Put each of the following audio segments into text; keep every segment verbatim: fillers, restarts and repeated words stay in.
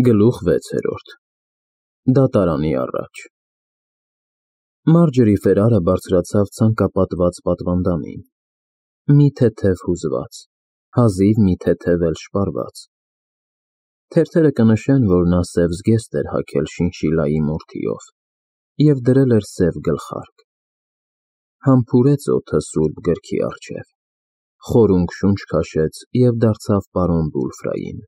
Գլուխ վեցերորդ Դատարանի առաջ Մարջորի Ֆերարը բարձրացավ ցանկապատված պատվանդանին, մի թեթև հուզված, հազիվ մի թեթև էլ շպարված. թերթերը կնշեն, որ նա սև զգեստ էր հագել շինշիլայի մորթիով և դրել էր սև գլխարկ. համբուրեց օդը սուրբ գրքի առջև, խորունկ շունչ քաշեց և դարձավ պարոն Բուլֆրային.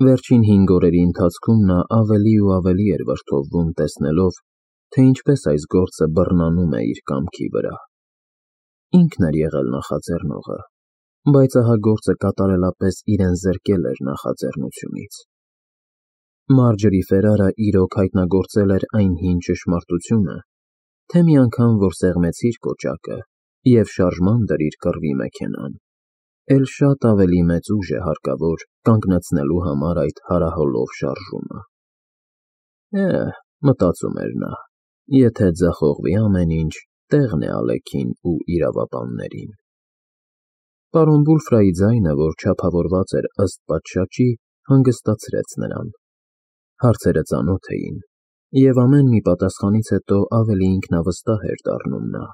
Վերջին հինգ օրերի ընթացքում նա ավելի ու ավելի էր վրդովվում տեսնելով, թե ինչպես այս գործը բռնանում է իր կամքի վրա. ինքն էր եղել նախաձեռնողը, բայց ահա գործը կատարելապես իրեն զրկել էր նախաձեռնությունից. Մարջորի Ֆերարը իրոք հայտնագործել էր այն հին ճշմարտությունը, թե մի անգամ որ սեղմեցիր կոճակը և շարժման դրիր կռվի մեքենան, էլ շատ ավելի մեծ ուժ է հարկավոր կանգնեցնելու համար այդ հարահոլով շարժումը: Էհ, մտածում էր նա, եթե ձախողվի ամեն ինչ, տեղն է Ալեքին ու իրավաբաններին: Պարոն Բուլֆրայի ձայնը, որ չափավորված էր ըստ պատշաճի, հանգստացրեց նրան: Հարցերը ծանոթ էին, և ամեն մի պատասխանից հետո ավելի ինքնավստահ էր դառնում նա: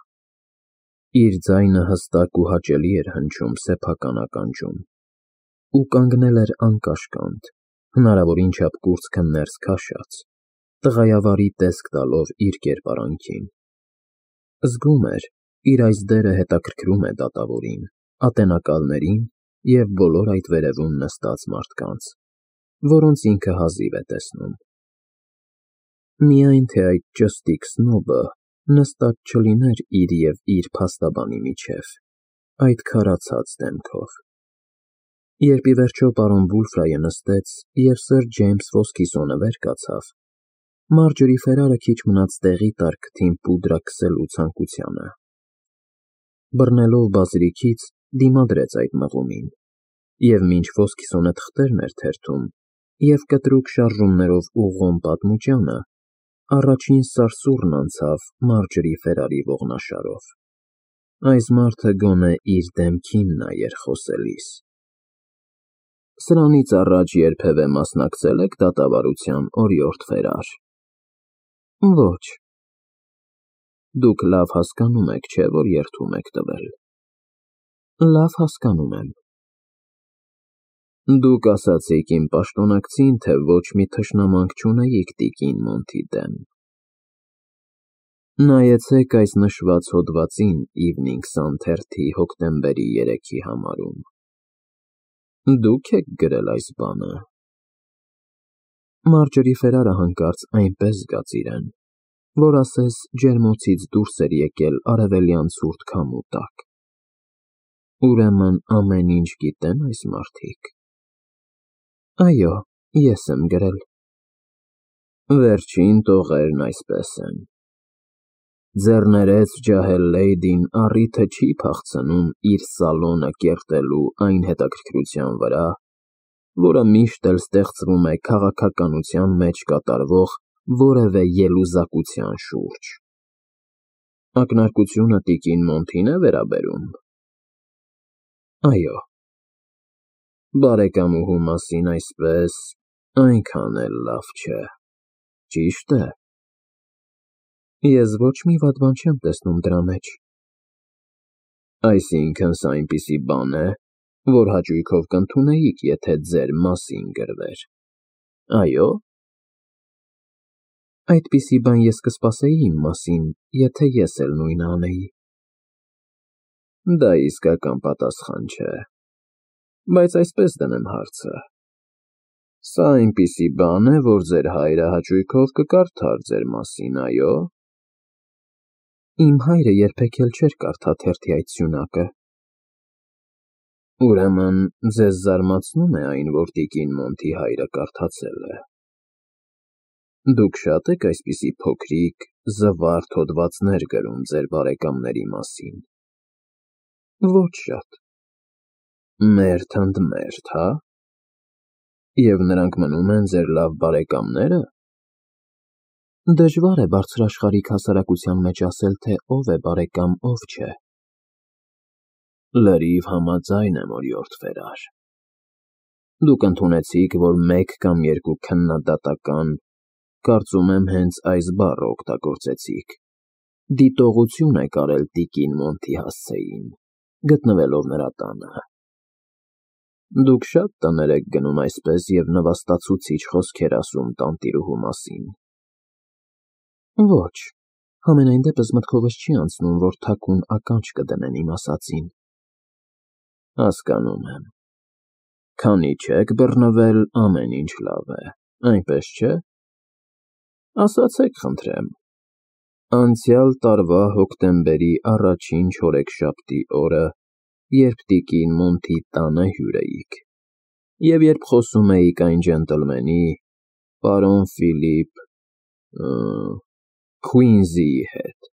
Իր ձայնը հստակ ու հաճելի էր հնչում սեփական ականջում, ու կանգնել էր անկաշկանդ, հնարավորին չափ կուրծքը ներս քաշած, տղայավարի տեսք տալով իր կերպարանքին: Զգում էր, իր այս դերը հետաքրքրում է դատավորին, ատենակալներին և բոլոր այդ վերևում նստած մարդկանց, որոնց ինքը հազիվ է տեսնում: Միայն թե այդ ճստիկ սնոբը նստած չլիներ իր և իր փաստաբանի միջև, այդ քարացած դեմքով: Երբ ի վերջո պարոն Բուլֆրայը նստեց և սըր Ջեյմս Ֆոսքիսոնը վեր կացավ, Մարջորի Ֆերարը քիչ մնաց տեղի տար քթին պուդրա քսելու ցանկությանը: Բռնելով բազրիքից, դիմադրեց այդ մղումին, և մինչ Ֆոսքիսոնը թղթերն էր թերթում և կտրուկ շարժումներով ուղղում պատմուճանը, առաջին սարսուռն անցավ Մարջորի Ֆերարի ողնաշարով: Այս մարդը գոնե իր դեմքին նայեր խոսելիս: Սրանից առաջ երբևէ մասնակցե՞լ եք դատավարության, օրիորդ Ֆերար: Ոչ: Դուք լավ հասկանում եք, չէ՞, որ երդում եք տվել: Լավ հասկանում եմ: Դուք ասացիք իմ պաշտոնակցին, թե ոչ մի թշնամանք չունեիք տիկին Մոնթի դեմ: Նայեցեք այս նշված հոդվածին Իվնինգ Սան թերթի հոկտեմբերի երեքի համարում: Դուք եք գրել այս բանը: Մարջորի Ֆերարը հանկարծ այնպես զգաց իրեն, որ ասես ջերմոցից դուրս էր եկել արևելյան ցուրտ քամու տակ: Ուրեմն ամեն ինչ գիտե՞ն այս մարդիկ: Այո, ես եմ գրել: Վերջին տողերն այսպես են: Ձեռներեց ջահել լեյդին առիթը չի փախցնում իր սալոնը կերտելու այն հետաքրքրության վրա, որը միշտ էլ ստեղծվում է քաղաքականության մեջ կատարվող որևէ ելուզակության շուրջ: Ակնարկությունը տիկին Մոնթի՞ն է վերաբերում: Այո: Բարեկամուհու մասին այսպես, այնքան էլ լավ չէ, ճի՞շտ է: Ես ոչ մի վատ բան չեմ տեսնում դրա մեջ: Այսինքն սա այնպիսի բան է, որ հաճույքով կընդունեիք, եթե ձեր մասին գրվեր, այո՞: Այդպիսի բան ես կսպասեի իմ մասին, եթե ես էլ նույնը անեի: Դա իսկական պատասխան չէ, բայց այսպես դնեմ հարցը: Սա այնպիսի բան է, որ ձեր հայրը հաճույքով կկարդար ձեր մասին, այո՞: Իմ հայրը երբեք էլ չէր կարդա թերթի այդ սյունակը: Ուրեմն ձեզ զարմացնում է այն, որ տիկին Մոնթի հայրը կարդացել է: Դուք շա՞տ եք այսպիսի փոքրիկ, զվարթ հոդվածներ գրում ձեր բարեկամների մասին: Ոչ շատ: Մերթ ընդ մերթ, հա՞: Եվ նրանք մնում են ձեր լավ բարեկամնե՞րը: Դժվար է բարձրաշխարհիկ հասարակության մեջ ասել, թե ով է բարեկամ, ով չէ: Լրիվ համաձայն եմ, օրիորդ Ֆերար: Դուք ընդունեցիք, որ մեկ կամ երկու քննադատական, կարծում եմ հենց այս բառը օգտագործեցիք, դիտողություն եք արել տիկին Մոնթի֊Հասցեին, գտնվելով նրա տանը։ Դուք շատ տներ եք գնում այսպես և նվաստացուցիչ խոսքեր ասում տանտիրուհու մասին։ Ոչ, համենայն դեպս մտքովս չի անցնում, որ թաքուն ականջ կդնեն իմ ասածին։ Հասկանում եմ։ Քանի չեք բռնվել, ամեն ինչ լավ է, այնպես չէ՞։ Ասացեք, խնդրեմ, անցյալ տարվա հոկտեմբերի առաջին չորեքշաբթի օրը, երբ տիկին Մոնթի տանը հյուր էիք, և երբ խոսում էիք այն ջենտլմենի, պարոն Ֆիլիպ Քուինզիի հետ,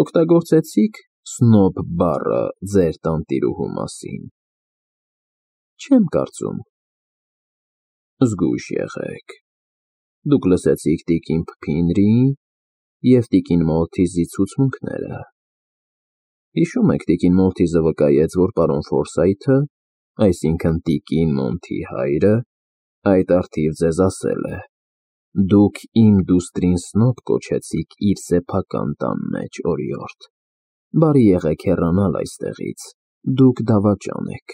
օգտագործեցի՞ք սնոբ բառը ձեր տանտիրուհու մասին։ Չեմ կարծում։ Զգույշ եղեք։ Դուք լսեցիք տիկին Փփինրիի և տիկին Մալթիզի ցուցմունքները։ Հիշում եք, տիկին Մալթիզը վկայեց, որ պարոն Ֆորսայթը, այսինքն տիկին Մոնթի հայրը, այդ առթիվ ձեզ ասել է. դուք իմ դուստրին սնոբ կոչեցիք իր սեփական տան մեջ, օրիորդ, բարի եղեք հեռանալ այստեղից, դուք դավաճան եք։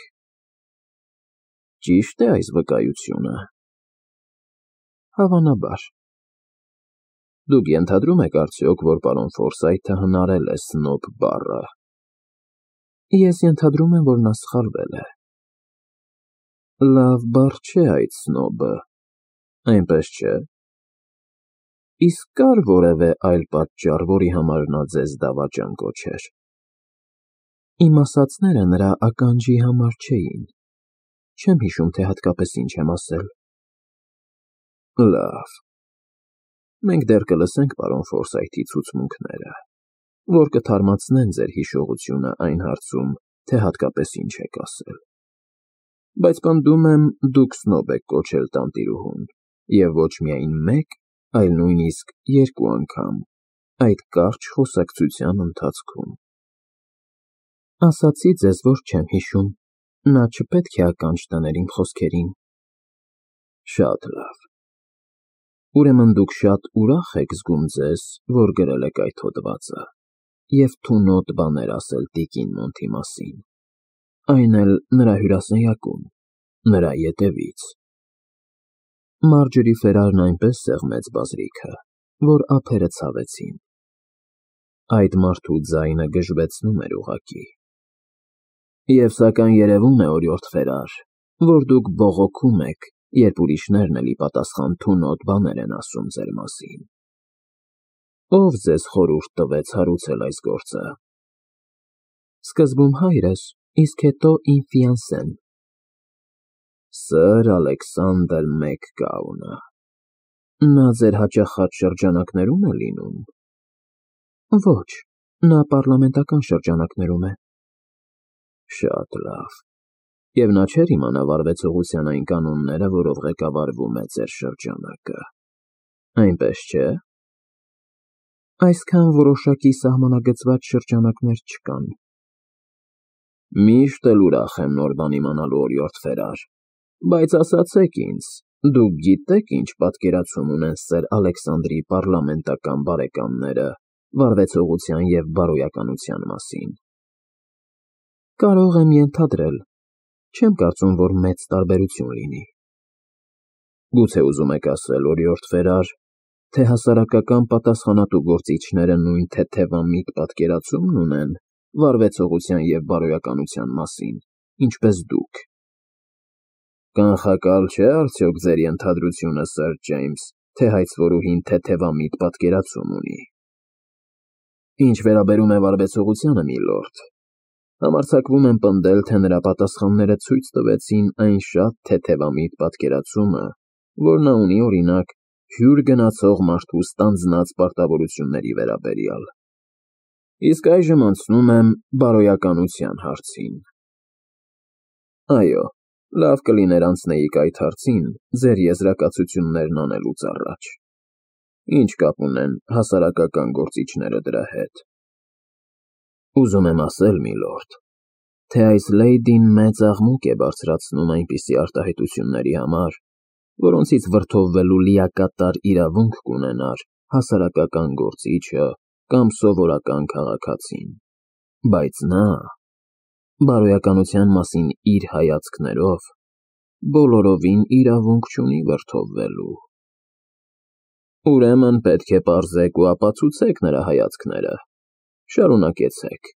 Ճի՞շտ է այս վկայությունը։ Հավանաբար։ Դուք ենթադրում եք արդյոք, որ պարոն Ֆորսայթը հնարել է սնոբ բառը։ Ես ենթադրում եմ, որ նա սխալվել է։ Լավ բառ չէ այդ սնոբը, այնպես չէ։ Իսկ կա՞ր որևէ այլ պատճառ, որի համար նա ձեզ դավաճան կոչեր։ Իմ ասածները նրա ականջի համար չէին։ Չեմ հիշում, թե հատկապես ինչ եմ ասել։ Լավ։ Մենք դեռ կլսենք պարոն Ֆորսայթի ցուցմունքները, որ կթարմացնեն ձեր հիշողությունը այն հարցում, թե հատկապես ինչ եք ասել։ Բայց պնդում եմ, դուք սնոբ եք կոչել տանտիրուհուն, և ոչ միայն մեկ, այլ նույնիսկ երկու անգամ, այդ կարճ խոսակցության ընթացքում։ Ասացի ձեզ, որ չեմ հիշում, նա չպետք է ականջ դներ իմ խոսքերին։ Շատ լավ։ Ուրեմն դուք շատ ուրախ եք զգում ձեզ, որ գրել եք այդ հոդվածը, և թունոտ բաներ ասել տիկին Մոնթի մասին, այն էլ նրա հյուրասենյակում, նրա ետևից։ Մարջորի Ֆերարն այնպես սեղմեց բազրիքը, որ ափերը ցավեցին։ Այդ մարդու ձայնը գժվեցնում էր ուղղակի։ Եվ սակայն երևում է, օրիորդ Ֆերար, որ դուք բողոքում եք, երբ ուրիշներն էլի պատասխան թունոտ բաներ են ասում ձեր մասին։ Ո՞վ ձեզ խորհուրդ տվեց հարուցել այս գործը։ Սկզբում հայրս, իսկ հետո իմ ֆիանսեն։ Սըր Ալեքսանդր Մեկգաունը։ Նա ձեր հաճախած շրջանակներում է լինում։ Ոչ, նա պառլամենտական շրջանակներում է։ Շատ լավ։ Եվ նա չէր իմանա վարվեցողության այն կանոնները, որով ղեկավարվում է ձեր շրջանակը։ Այնպես չէ։ Այսքան որոշակի սահմանագծված շրջանակներ չկան։ Միշտ էլ ուրախ եմ նոր բան իմանալու, օրիորդ Ֆերար, բայց ասացեք ինձ, դուք գիտե՞ք ինչ պատկերացում ունեն սըր Ալեքսանդրի պառլամենտական բարեկամները վարվեցողության և բարոյականության մասին։ Կարող եմ ենթադրել, չեմ կարծում, որ մեծ տարբերություն լինի։ Գուցե ուզում եք ասել, օրիորդ Ֆերար, թե հասարակական պատասխանատու գործիչները նույն թեթևամիտ պատկերացումն ունեն վարվեցողության և բարոյականության մասին, ինչպես դուք։ Կանխակալ չէ արդյոք ձեր ենթադրությունը, սըր Ջեյմս, թե հայցվորուհին թեթևամիտ պատկերացում ունի։ Ինչ վերաբերում է վարվեցողությանը, միլորդ, համարձակվում եմ պնդել, թե նրա պատասխանները ցույց տվեցին այն շատ թեթևամիտ պատկերացումը, որ նա ունի, օրինակ, հյուր գնացող մարդու ստանձնած պարտավորությունների վերաբերյալ։ Իսկ այժմ անցնում եմ բարոյականության հարցին։ Այո, լավ կլիներ անցնեիք այդ հարցին ձեր եզրակացություններն անելուց առաջ։ Ինչ կապ ունեն հասարակական գործիչները դրա հետ։ Ուզում եմ ասել, միլորդ, թե այս լեյդին մեծ աղմուկ է բարձրացնում այնպիսի արտահայտությունների համար, որոնցից վրդովվելու լիակատար իրավունք կունենար հասարակական գործիչը կամ սովորական քաղաքացին, բայց նա, բարոյականության մասին իր հայացքներով, բոլորովին իրավունք չունի վրդովվելու։ Ուրեմն պետք է պարզեք ու ապացուցեք նրա հայացքները, շարունակեցեք։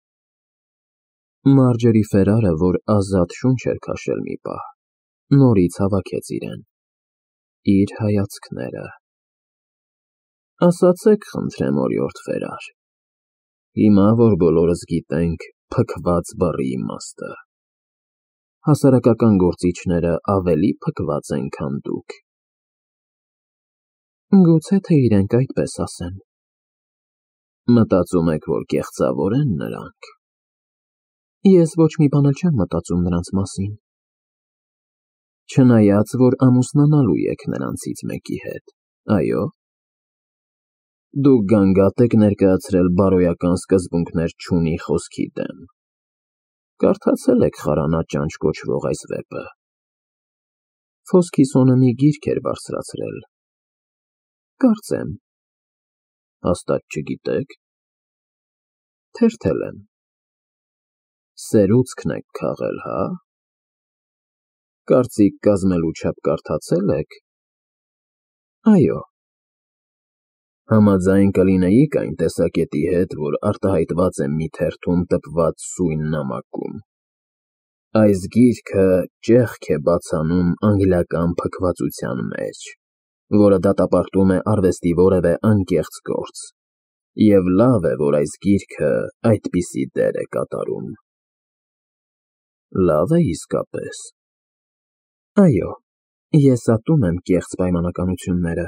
Մարջերի Ֆերարը, որ ազատ շունչ էր քաշել մի պահ, նորից հավաքեց իրեն։ Իր հայացքները։ Ասացեք, խնդրեմ, օրիորդ Ֆերար, հիմա, որ բոլորս գիտենք փքված բառի իմաստը, հասարակական գործիչները ավելի փքված են, քան դուք։ Գուցե թե իրենք այդպես ասեն։ Մտածում եք, որ կեղծավոր են նրանք։ Ես ոչ մի բան էլ չեմ մտածում նրանց մասին։ Չնայած, որ ամուսնանալու եք նրանցից մեկի հետ, այո։ Դուք գանգատ եք ներկայացրել բարոյական սկզբունքներ չունի խոսքի դեմ։ Կարդացել եք խարանաճանճ կոչվող այս վեպը։ Ֆոսքիսոնը մի գիրք էր բարձրացրել։ Կարծեմ։ Հաստատ չգիտեք։ Թերթել եմ։ Սերուցքն եք քաղել, հա։ Կարծիք կազմելու չափ կարդացել եք։ Այո։ Համաձայն կլինեիք այն տեսակետի հետ, որ արտահայտված է մի թերթում տպված սույն նամակում։ Այս գիրքը ճեղք է բացանում անգլիական փքվածության մեջ, որը դատապարտում է արվեստի որևէ անկեղծ գործ, և լավ է, որ այս գիրքը այդպիսի դեր է կատարում։ Լավ է իսկապես։ Այո, ես ատում եմ կեղծ պայմանականությունները։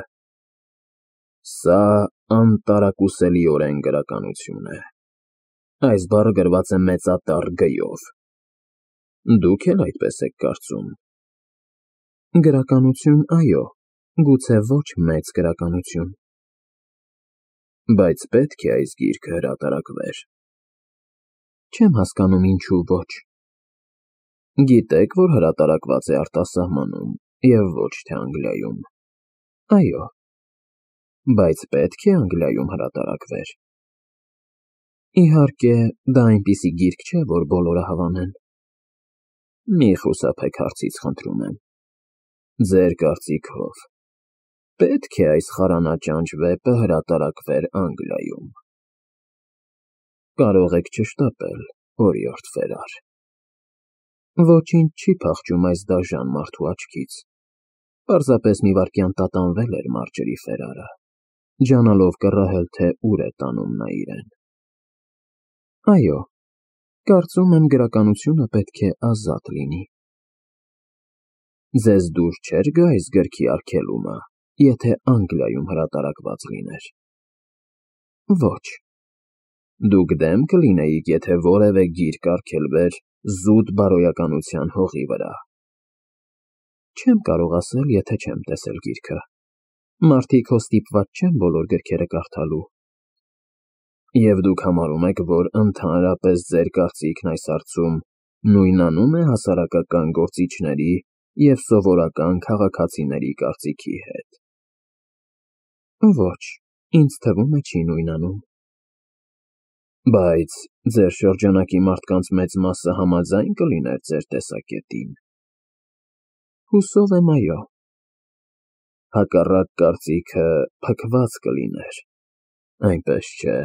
Սա անտարակուսելիորեն գրականություն է։ Այս բառը գրված է մեծատառ գ-ով։ Դուք էլ այդպես եք կարծում։ Գրականություն, այո, գուցե ոչ մեծ գրականություն։ Բայց պետք է այս գիրքը հրատարակվեր։ Չեմ հասկանում ինչու ոչ։ Գիտեք, որ հրատարակված է արտասահմանում և ոչ թե Անգլիայում։ Այո։ Բայց պետք է Անգլիայում հրատարակվեր։ Իհարկե, դա այնպիսի գիրք չէ, որ բոլորը հավանեն։ Մի խուսափեք հարցից, խնդրում եմ։ Ձեր կարծիքով, պետք է այս խարանաճանճ վեպը հրատարակվեր Անգլիայում։ Կարող եք չշտապել, օրիորդ Ֆերար։ Ոչինչ չի փախչում այս դաժան մարդու աչքից։ Պարզապես մի վայրկյան տատանվել էր Մարջերի Ֆերարը, ջանալով կռահել, թե ուր է տանում նա իրեն։ Այո, կարծում եմ գրականությունը պետք է ազատ լինի։ Ձեզ դուր չէր գա այս գրքի արգելումը, եթե Անգլիայում հրատարակված լիներ։ Ոչ։ Դուք դեմ կլինեիք, եթե որևէ գիրք արգելվեր զուտ բարոյականության հողի վրա։ Չեմ կարող ասել, եթե չեմ տեսել գիրքը։ Մարդիկ հո ստիպված չեն բոլոր գրքերը կարդալու։ Եվ դուք համարում եք, որ ընդհանրապես ձեր կարծիքն այս հարցում նույնանում է հասարակական գործիչների և սովորական քաղաքացիների կարծիքի հետ։ Ոչ, ինձ թվում է չի նույնանում։ Բայց ձեր շրջանակի մարդկանց մեծ մասը համաձայն կլիներ ձեր տեսակետին։ Հուսով եմ, այո։ Հակառակ կարծիքը փքված կլիներ, այնպես չէ։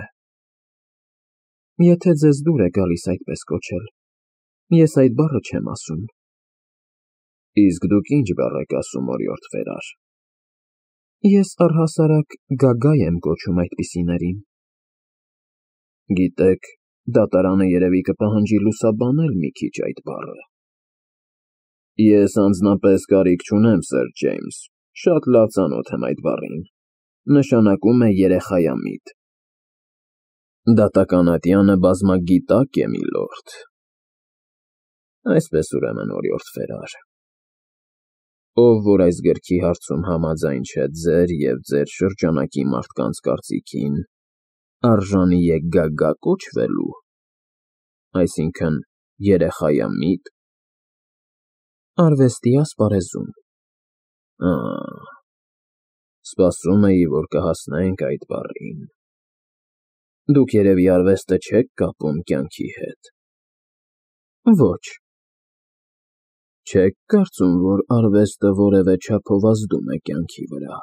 Եթե ձեզ դուր է գալիս այդպես կոչել, ես այդ բառը չեմ ասում։ Իսկ դուք ինչ բառ եք ասում, օրիորդ Ֆերար։ Ես առհասարակ գագա եմ կոչում այդպիսիներին։ Գիտեք, դատարանը երևի կպահանջի լուսաբանել մի քիչ այդ բառը։ Ես անձնապես կարիք չունեմ, սըր Ջեյմս, շատ լավ ծանոթ եմ այդ բառին։ Նշանակում է երեխայամիտ։ Դատական ատյանը բազմագիտակ է, միլորդ։ Այսպես ուրեմն, օրիորդ Ֆերար։ Ով որ այս գրքի հարցում համաձայն չէ ձեր և ձեր շրջանակի մարդկանց կարծիքին, արժանի է գագա կոչվելու, այսինքն երեխայամիտ։ Արվեստի ասպարեզում։ Ահ, սպասում էի, որ կհասնենք այդ բառին։ Դուք երևի արվեստը չեք կապում կյանքի հետ։ Ոչ։ Չեք կարծում, որ արվեստը որևէ չափով ազդում է կյանքի վրա։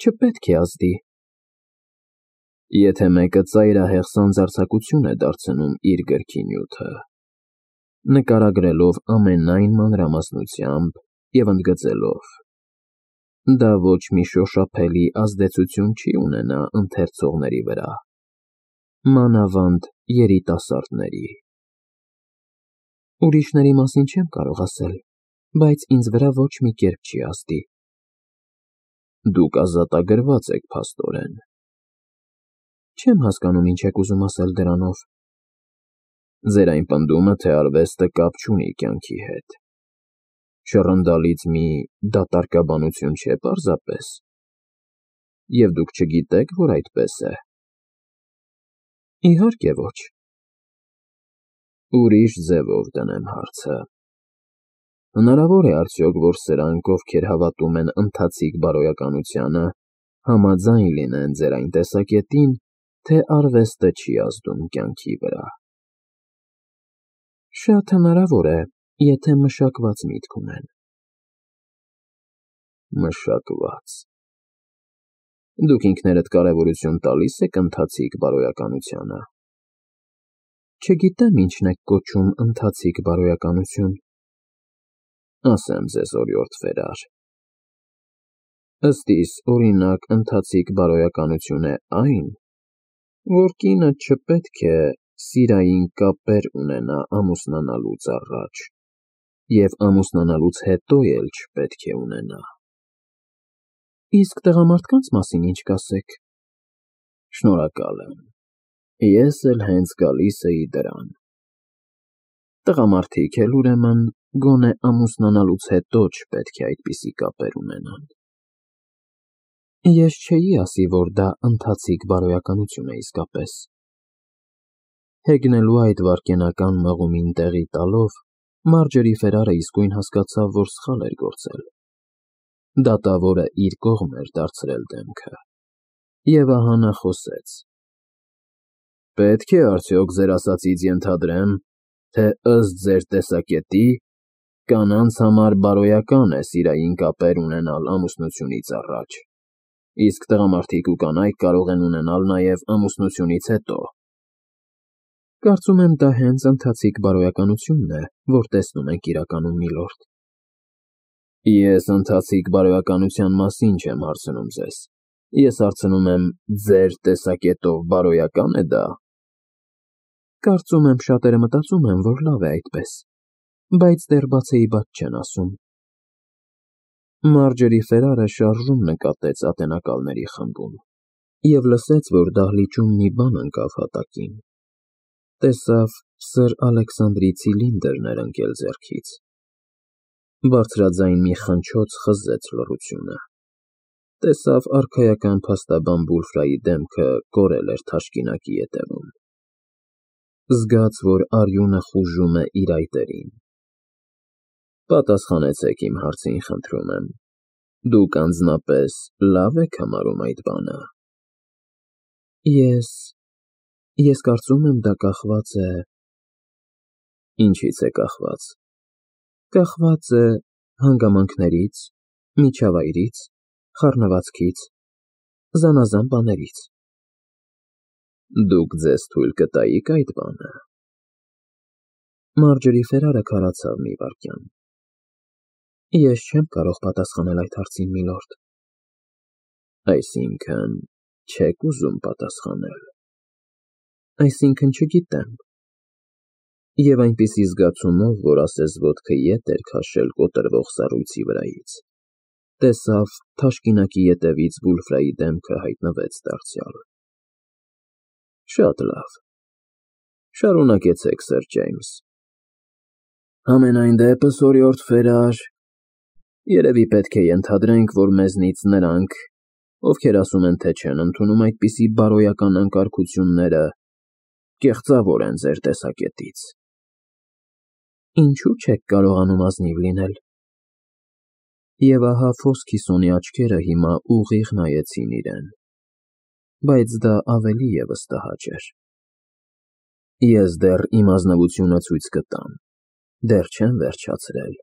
Չպետք է ազդի։ Եթե մեկը ծայրահեղ սանձարձակություն է դարձնում իր գրքի նյութը, նկարագրելով ամենայն մանրամասնությամբ և ընդգծելով, դա ոչ մի շոշափելի ազդեցություն չի ունենա ընթերցողների վրա, մանավանդ երիտասարդների։ Ուրիշների մասին չեմ կարող ասել, բայց ինձ վրա ոչ մի կերպ չի ազդի։ Դուք ազատագրված եք, փաստորեն։ Չեմ հասկանում ինչ եք ուզում ասել դրանով։ Ձեր այն պնդումը, թե արվեստը կապ չունի կյանքի հետ, շռնդալից մի դատարկաբանություն չէ պարզապես, և դուք չգիտեք, որ այդպես է։ Իհարկե ոչ։ Ուրիշ ձևով դնեմ հարցը. հնարավոր է արդյոք, որ սրանք, ովքեր հավատում են ընթացիկ բարոյականությանը, համաձայն լինեն ձեր այն տեսակետին, թե արվեստը չի ազդում կյանքի վրա։ Շատ հնարավոր է, եթե մշակված միտք ունեն։ Մշակված։ Դուք ինքներդ կարևորություն տալի՞ս եք ընթացիկ բարոյականությանը։ Չգիտեմ ինչն եք կոչում ընթացիկ բարոյականություն։ Ասեմ ձեզ օրիորդ Ֆերար։ Ըստ իս, օրինակ, ընթացիկ բարոյականություն է այն, որ կինը չպետք է սիրային կապեր ունենա ամուսնանալուց առաջ, և ամուսնանալուց հետո էլ չպետք է ունենա։ Իսկ տղամարդկանց մասին ինչ կասեք։ Շնորհակալ եմ, ես էլ հենց գալիս էի դրան։ Տղամարդիկ էլ, ուրեմն, գոնե ամուսնանալուց հետո չպետք է այդպիսի կապեր ունենան։ Ես չէի ասի, որ դա ընթացիկ բարոյականություն է իսկապես։ Հեգնելու այդ վայրկենական մղումին տեղի տալով, Մարջերի Ֆերարը իսկույն հասկացավ, որ սխալ էր գործել։ Դատավորը իր կողմ էր դարձրել դեմքը։ Եվ ահա նա խոսեց. Պետք է արդյոք ձեր ասածից ենթադրեմ, թե ըստ ձեր տեսակետի, կանանց համար բարոյական է սիրային կապեր ունենալ ամուսնությունից առաջ, իսկ տղամարդիկ ու կանայք կարող են ունենալ նաև ամուսնությունից հետո։ Կարծում եմ, դա հենց ընթացիկ բարոյականությունն է, որ տեսնում ենք իրականում, միլորդ։ Ես ընթացիկ բարոյականության մասին չեմ հարցնում ձեզ, ես հարցնում եմ, ձեր տեսակետով բարոյակա՞ն է դա։ Կարծում եմ, շատերը մտածում են, որ լավ է այդպես, բայց դեռ բացեի բաց չեն ասում։ Մարջերի Ֆերարը շարժում նկատեց ատենակալների խմբում և լսեց, որ դահլիճում մի բան ընկավ հատակին։ Տեսավ սըր Ալեքսանդրի ցիլինդրն էր ընկել ձեռքից։ Բարձրաձայն մի խնչոց խզեց լռությունը։ Տեսավ արքայական փաստաբան Բուլֆրայի դեմքը կորել էր թաշկինակի ետևում։ Զգաց, որ արյունը խուժում է իր այտերին։ Պատասխանեցեք իմ հարցին, խնդրում եմ, դուք անձնապես լավ եք համարում այդ բանը։ Ես… ես կարծում եմ, դա կախված է… Ինչից է կախված։ Կախված է հանգամանքներից, միջավայրից, խառնվածքից, զանազան բաներից։ Դուք ձեզ թույլ կտայիք այդ բանը։ Մարջերի Ֆերարը քարացավ մի վայրկյան։ Ես չեմ կարող պատասխանել այդ հարցին, միլորդ։ Այսինքն, չեք ուզում պատասխանել։ Այսինքն, չգիտեմ։ Եվ այնպիսի զգացումով, որ ասես ոտքը ետ էր քաշել կոտրվող սառույցի վրայից, տեսավ թաշկինակի ետևից Բուլֆրայի դեմքը հայտնվեց դարձյալ։ Շատ լավ։ Շարունակեցեք, սըր Ջեյմս։ Համենայն դեպս, օրիորդ Ֆերար, երևի պետք է ենթադրենք, որ մեզնից նրանք, ովքեր ասում են, թե չեն ընդունում այդպիսի բարոյական անկարգությունները, կեղծավոր են ձեր տեսակետից։ Ինչու՞ չեք կարողանում ազնիվ լինել։ Եվ ահա Ֆոսքիսոնի աչքերը հիմա ուղիղ նայեցին իրեն, բայց դա ավելի ևս տհաճ էր։ Ես դեռ իմ ազնվությունը ցույց կտամ, դեռ չեմ վերջացրել,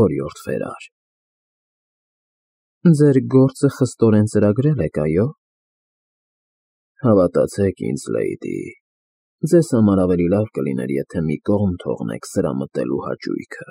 օրիորդ Ֆերար։ Ձեր գործը խստորեն ծրագրել եք, այո՞։ Հավատացեք ինձ, լեյդի, ձեզ համար ավելի լավ կլիներ, եթե մի կողմ թողնեք սրամտելու հաճույքը։